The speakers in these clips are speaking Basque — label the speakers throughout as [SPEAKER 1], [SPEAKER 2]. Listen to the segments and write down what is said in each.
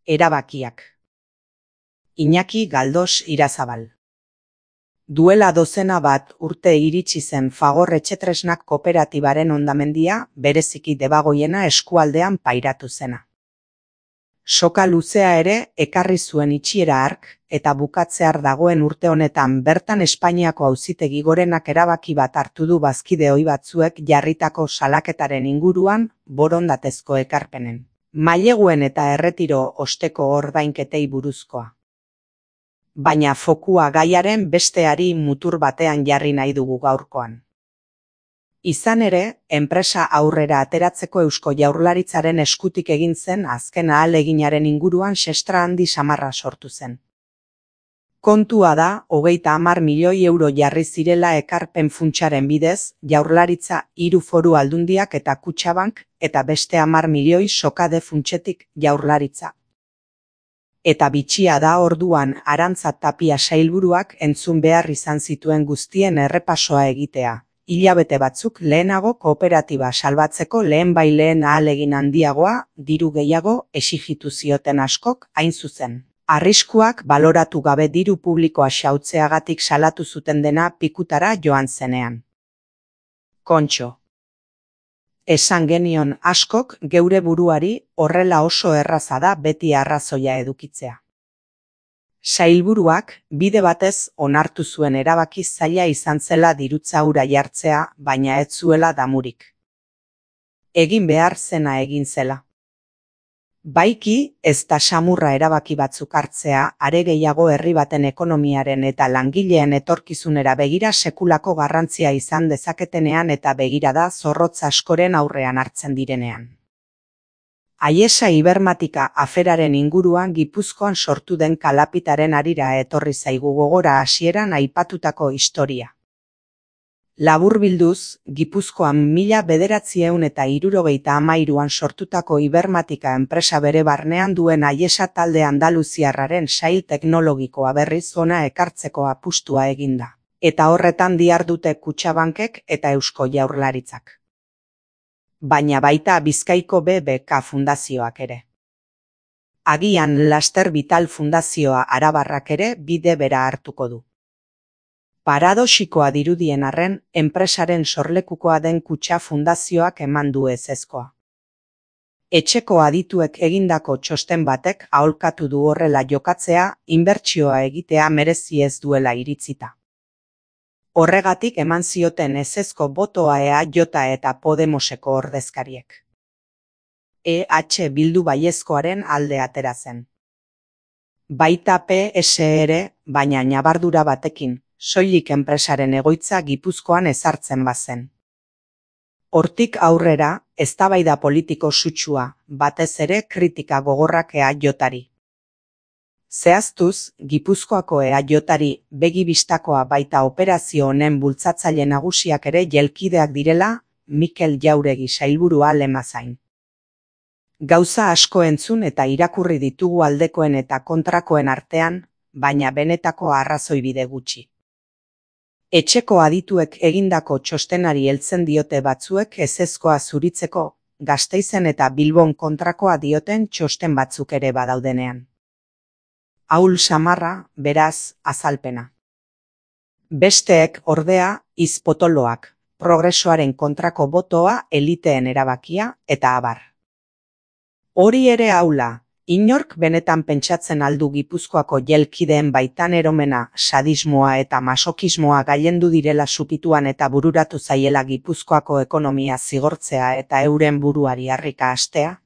[SPEAKER 1] Erabakiak. Iñaki Galdos Irazabal. Duela dozena bat urte iritsi zen Fagor Etxetresnak kooperatibaren hondamendia, bereziki Debagoiena eskualdean pairatu zena. Soka luzea ere ekarri zuen itxiera hark, eta bukatzear dagoen urte honetan bertan Espainiako Auzitegi Gorenak erabaki bat hartu du bazkide ohi batzuek jarritako salaketaren inguruan borondatezko ekarpenen, maileguen eta erretiro osteko ordainketei buruzkoa. Baina fokua gaiaren besteari mutur batean jarri nahi dugu gaurkoan. Izan ere, enpresa aurrera ateratzeko Eusko Jaurlaritzaren eskutik egin zen azken ahaleginaren inguruan sestra handi samarra sortu zen. Kontua da, 30 milioi euro jarri zirela ekarpen funtsaren bidez, Jaurlaritza, 3 foru aldundiak eta Kutxabank, eta beste 10 milioi sokade funtsetik Jaurlaritza. Eta bitxia da orduan Arantza Tapia sailburuak entzun behar izan zituen guztien errepasoa egitea, hilabete batzuk lehenago kooperatiba salbatzeko lehenbaileen ahalegin handiagoa, diru gehiago exijitu zioten askok, hain zuzen. Arriskuak baloratu gabe diru publikoa xautzeagatik salatu zuten dena pikutara joan zenean. Kontxo. Esan genion askok geure buruari horrela oso erraza da beti arrazoia edukitzea. Sailburuak bide batez onartu zuen erabaki zaila izan zela dirutza hura jartzea, baina ez zuela damurik. Egin behar zena egin zela. Baiki ez da samurra erabaki batzuk hartzea, are gehiago herri baten ekonomiaren eta langileen etorkizunera begira sekulako garrantzia izan dezaketenean eta begirada zorrotz askoren aurrean hartzen direnean. Aiesa Ibermatika aferaren inguruan Gipuzkoan sortu den kalapitaren harira etorri zaigu gogora hasieran aipatutako historia. Laburbilduz, Gipuzkoan 1973an sortutako Ibermatika enpresa bere barnean duen Aiesa talde andaluziarraren sail teknologikoa berriz hona ekartzeko apustua eginda, eta horretan dihardute Kutxabankek eta Eusko Jaurlaritzak. Baina baita Bizkaiko BBK fundazioak ere. Agian Laster Vital fundazioa arabarrak ere bide bera hartuko du. Paradoxikoa dirudien arren, enpresaren sorlekukoa den Kutxa fundazioak eman du ezezkoa. Etxeko adituek egindako txosten batek aholkatu du horrela jokatzea, inbertsioa egitea merezi ez duela iritzita. Horregatik eman zioten ezezko botoa EAJ eta Podemoseko ordezkariek. EH Bildu baiezkoaren alde atera zen. Baita PS ere, baina ñabardura batekin, soilik enpresaren egoitza Gipuzkoan ezartzen bazen. Hortik aurrera, eztabaida politiko sutsua, batez ere kritika gogorrak EAJari. Zehaztuz, Gipuzkoako EAJari begi bistakoa baita operazio honen bultzatzaile nagusiak ere jelkideak direla, Mikel Jauregi sailburua lemazain. Gauza asko entzun eta irakurri ditugu aldekoen eta kontrakoen artean, baina benetako arrazoibide gutxi. Etxeko adituek egindako txostenari heltzen diote batzuek ezezkoa zuritzeko, Gasteizen eta Bilbon kontrakoa dioten txosten batzuk ere badaudenean. Ahul samarra, beraz, azalpena. Besteek, ordea, izpotoloak, progresoaren kontrako botoa eliteen erabakia, eta abar. Hori ere aula, inork benetan pentsatzen aldu Gipuzkoako jelkideen baitan eromena, sadismoa eta masokismoa gailendu direla supituan eta bururatu zaiela Gipuzkoako ekonomia zigortzea eta euren buruari harrika hastea?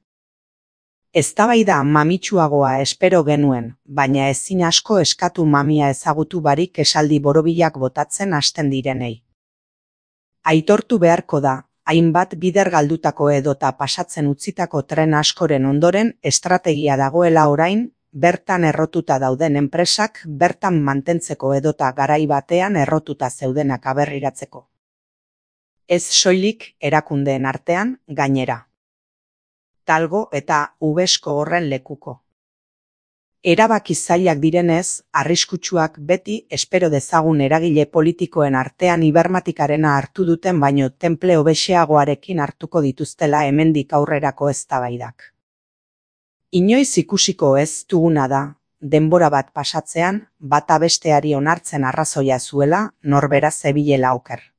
[SPEAKER 1] Eztabaida mamitsuagoa espero genuen, baina ezin asko eskatu mamia ezagutu barik esaldi borobilak botatzen hasten direnei. Aitortu beharko da, hainbat bider galdutako edota pasatzen utzitako tren askoren ondoren estrategia dagoela orain, bertan errotuta dauden enpresak bertan mantentzeko edota garai batean errotuta zeudenak aberriratzeko. Ez soilik erakundeen artean, gainera. Talgo eta Ubesko horren lekuko. Erabaki zailak direnez, arriskutsuak beti espero dezagun eragile politikoen artean Ibermatikarena hartu duten baino tenple hobexeagoarekin hartuko dituztela hemendik aurrerako eztabaidak. Inoiz ikusiko ez duguna da, denbora bat pasatzean, bata besteari onartzen arrazoia zuela, norbera zebilela oker.